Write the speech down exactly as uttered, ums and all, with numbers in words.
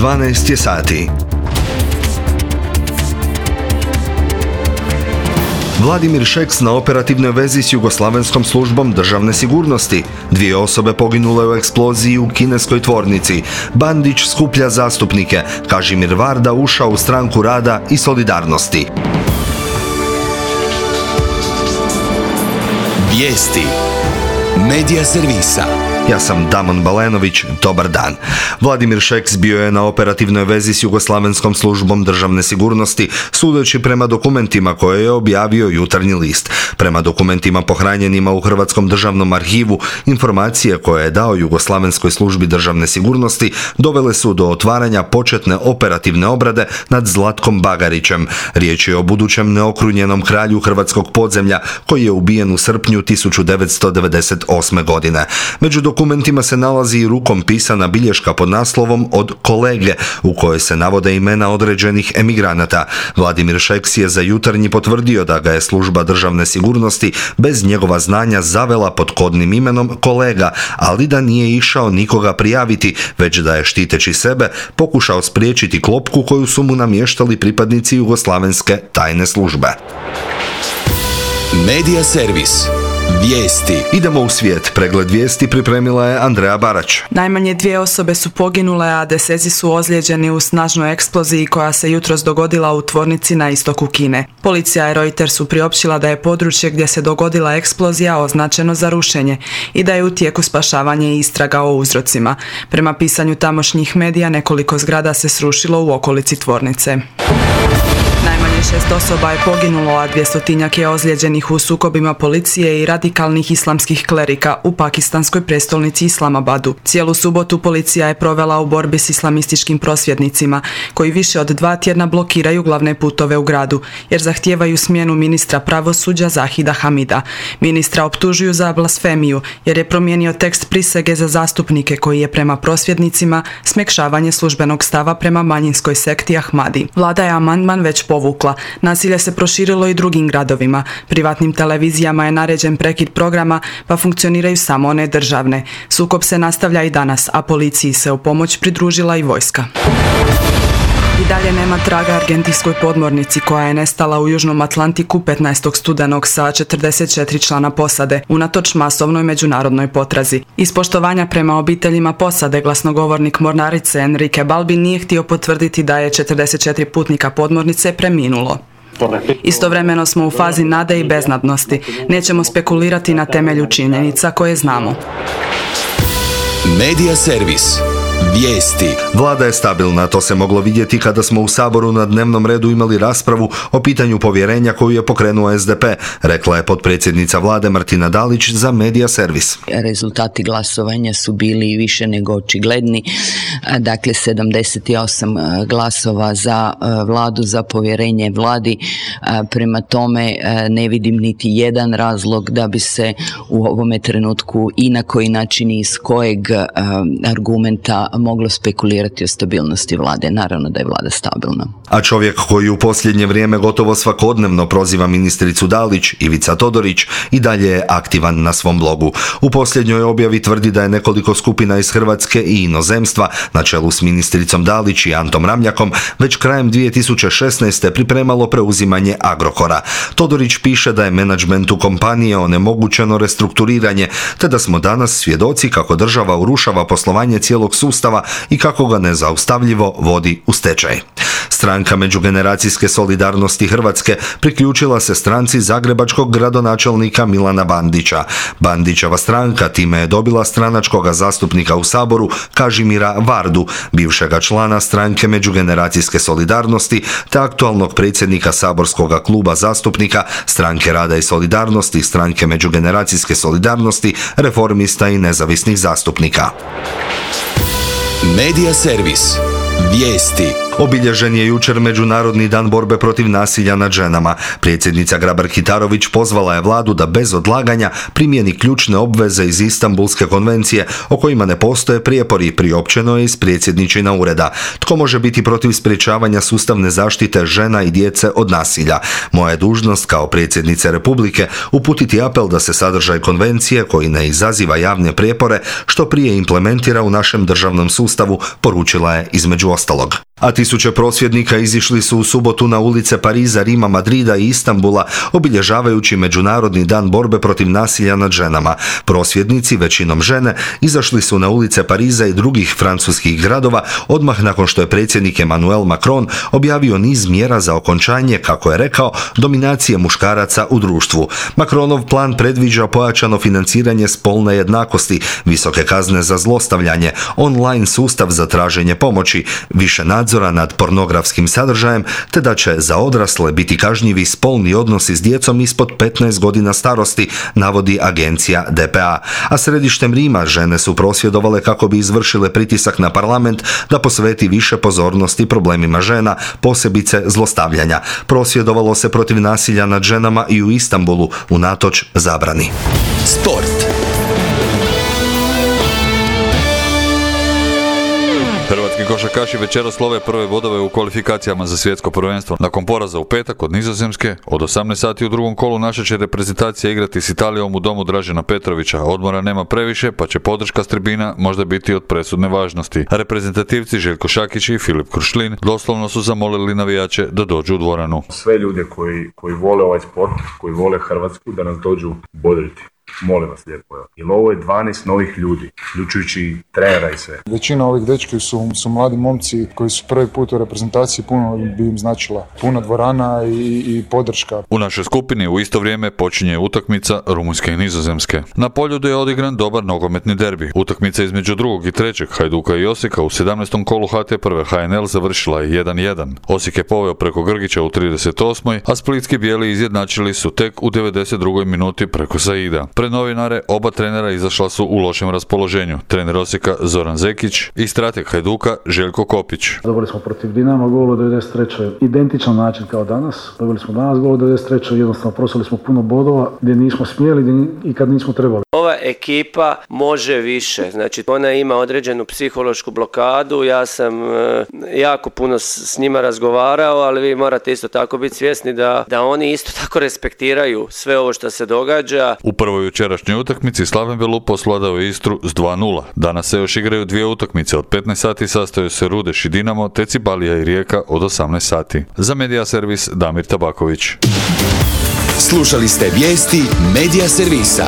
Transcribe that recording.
dvanaest je sati. Vladimir Šeks na operativnoj vezi s Jugoslavenskom službom državne sigurnosti. Dvije osobe poginule u eksploziji u kineskoj tvornici. Bandić skuplja zastupnike. Kažimir Varda ušao u Stranku rada i solidarnosti. Vijesti Medija servisa. Ja sam Damon Balenović, dobar dan. Vladimir Šeks bio je na operativnoj vezi s Jugoslavenskom službom državne sigurnosti, sudeći prema dokumentima koje je objavio Jutarnji list. Prema dokumentima pohranjenima u Hrvatskom državnom arhivu, informacije koje je dao Jugoslavenskoj službi državne sigurnosti dovele su do otvaranja početne operativne obrade nad Zlatkom Bagarićem. Riječ je o budućem neokrunjenom kralju hrvatskog podzemlja koji je ubijen u srpnju tisuću devetsto devedeset osme. godine. Među dokumentima se nalazi i rukom pisana bilješka pod naslovom Od kolege, u kojoj se navode imena određenih emigranata. Vladimir Šeks je za Jutarnji potvrdio da ga je služba državne sigurnosti bez njegova znanja zavela pod kodnim imenom kolega, ali da nije išao nikoga prijaviti, već da je štiteći sebe pokušao spriječiti klopku koju su mu namještali pripadnici Jugoslavenske tajne službe. Medija servis. Vijesti. Idemo u svijet. Pregled vijesti pripremila je Andreja Barać. Najmanje dvije osobe su poginule, a deseci su ozlijeđeni u snažnoj eksploziji koja se jutros dogodila u tvornici na istoku Kine. Policija i Reutersu priopćila da je područje gdje se dogodila eksplozija označeno za rušenje i da je u tijeku spašavanje i istraga o uzrocima. Prema pisanju tamošnjih medija, nekoliko zgrada se srušilo u okolici tvornice. Najmanje šest osoba je poginulo, a dvjestotinjak je ozlijeđenih u sukobima policije i radikalnih islamskih klerika u pakistanskoj prestolnici Islamabadu. Cijelu subotu policija je provela u borbi s islamističkim prosvjednicima, koji više od dva tjedna blokiraju glavne putove u gradu, jer zahtijevaju smjenu ministra pravosuđa Zahida Hamida. Ministra optužuju za blasfemiju, jer je promijenio tekst prisege za zastupnike koji je prema prosvjednicima smekšavanje službenog stava prema manjinskoj sekti Ahmadi. Vlada je amandman već povukla. Nasilje se proširilo i drugim gradovima. Privatnim televizijama je naređen prekid programa, pa funkcioniraju samo one državne. Sukob se nastavlja i danas, a policiji se u pomoć pridružila i vojska. I dalje nema traga argentinskoj podmornici koja je nestala u Južnom Atlantiku petnaestog studenog sa četrdeset četiri člana posade, unatoč masovnoj međunarodnoj potrazi. Iz poštovanja prema obiteljima posade, glasnogovornik mornarice Enrique Balbi nije htio potvrditi da je četrdeset četiri putnika podmornice preminulo. Istovremeno smo u fazi nade i beznadnosti. Nećemo spekulirati na temelju činjenica koje znamo. Medija servis. Vijesti. Vlada je stabilna, to se moglo vidjeti kada smo u Saboru na dnevnom redu imali raspravu o pitanju povjerenja koju je pokrenuo S D P, rekla je potpredsjednica Vlade Martina Dalić za Medija servis. Rezultati glasovanja su bili više nego očigledni, dakle sedamdeset osam glasova za Vladu, za povjerenje Vladi, prema tome ne vidim niti jedan razlog da bi se u ovome trenutku i na koji način i iz kojeg argumenta moglo spekulirati o stabilnosti vlade. Naravno da je vlada stabilna. A čovjek koji u posljednje vrijeme gotovo svakodnevno proziva ministricu Dalić, Ivica Todorić, i dalje je aktivan na svom blogu. U posljednjoj objavi tvrdi da je nekoliko skupina iz Hrvatske i inozemstva, na čelu s ministricom Dalić i Antom Ramljakom, već krajem dvije tisuće šesnaeste. pripremalo preuzimanje Agrokora. Todorić piše da je menadžmentu kompanije onemogućeno restrukturiranje, te da smo danas svjedoci kako država urušava poslovanje cijelog sustava i kako ga nezaustavljivo vodi u stečaj. Stranka međugeneracijske solidarnosti Hrvatske priključila se stranci zagrebačkog gradonačelnika Milana Bandića. Bandićeva stranka time je dobila stranačkoga zastupnika u Saboru Kažimira Vardu, bivšega člana stranke međugeneracijske solidarnosti te aktualnog predsjednika saborskog kluba zastupnika Stranke rada i solidarnosti, Stranke međugeneracijske solidarnosti, Reformista i nezavisnih zastupnika. Medija servis. Vijesti. Obilježen je jučer Međunarodni dan borbe protiv nasilja nad ženama. Predsjednica Grabar-Kitarović pozvala je vladu da bez odlaganja primjeni ključne obveze iz Istanbulske konvencije o kojima ne postoje prijepori, priopćeno je iz predsjedničina ureda. Tko može biti protiv sprječavanja sustavne zaštite žena i djece od nasilja? Moja je dužnost kao predsjednice Republike uputiti apel da se sadržaj konvencije, koji ne izaziva javne prijepore, što prije implementira u našem državnom sustavu, poručila je između ostalog. A tisuće prosvjednika izišli su u subotu na ulice Pariza, Rima, Madrida i Istanbula, obilježavajući Međunarodni dan borbe protiv nasilja nad ženama. Prosvjednici, većinom žene, izašli su na ulice Pariza i drugih francuskih gradova odmah nakon što je predsjednik Emmanuel Macron objavio niz mjera za okončanje, kako je rekao, dominacije muškaraca u društvu. Macronov plan predviđa pojačano financiranje spolne jednakosti, visoke kazne za zlostavljanje, online sustav za traženje pomoći, više nadzora nad pornografskim sadržajem, te da će za odrasle biti kažnjivi spolni odnosi s djecom ispod petnaest godina starosti, navodi agencija D P A. A središtem Rima žene su prosvjedovale kako bi izvršile pritisak na parlament da posveti više pozornosti problemima žena, posebice zlostavljanja. Prosvjedovalo se protiv nasilja nad ženama i u Istanbulu, unatoč zabrani. Sport. Hrvatski košarkaši večeras slove prve bodove u kvalifikacijama za svjetsko prvenstvo. Nakon poraza u petak od Nizozemske, od osamnaest sati u drugom kolu naša će reprezentacija igrati s Italijom u domu Dražena Petrovića. Odmora nema previše, pa će podrška s tribina možda biti od presudne važnosti. A reprezentativci Željko Šakić i Filip Krušlin doslovno su zamolili navijače da dođu u dvoranu. Sve ljude koji, koji vole ovaj sport, koji vole Hrvatsku, da nas dođu bodriti. Molim vas lijepo. Jer ovo je dvanaest novih ljudi, uključujući trenera i sve. Većina ovih dečki su, su mladi momci koji su prvi put u reprezentaciji, puno bi im značila. Puna dvorana i, i podrška. U našoj skupini u isto vrijeme počinje utakmica Rumunjske i Nizozemske. Na Poljudu je odigran dobar nogometni derbi. Utakmica između drugog i trećeg Hajduka i Osijeka u sedamnaestom kolu H T prve H N L završila je jedan jedan. Osijek je poveo preko Grgića u trideset osmoj a splitski bijeli izjednačili su tek u devedeset drugoj minuti preko Saida. Pred novinare oba trenera izašla su u lošem raspoloženju. Trener Osijeka Zoran Zekić i strateg Hajduka Željko Kopić. Dobili smo protiv Dinama gol u devedeset trećoj identičan način kao danas. Dobili smo danas gol u devedeset trećoj jednostavno prosili smo puno bodova gdje nismo smjeli gdje i kad nismo trebali. Ova ekipa može više, znači ona ima određenu psihološku blokadu, ja sam e, jako puno s, s njima razgovarao, ali vi morate isto tako biti svjesni da, da oni isto tako respektiraju sve ovo što se događa. U prvoj jučerašnjoj utakmici Slaven Belupo osvladao je Istru s dva nula. Danas se još igraju dvije utakmice, od petnaest sati sastaju se Rudeš i Dinamo, te Cibalija i Rijeka od osamnaest sati. Za Medija Servis Damir Tabaković. Slušali ste vijesti Medija Servisa.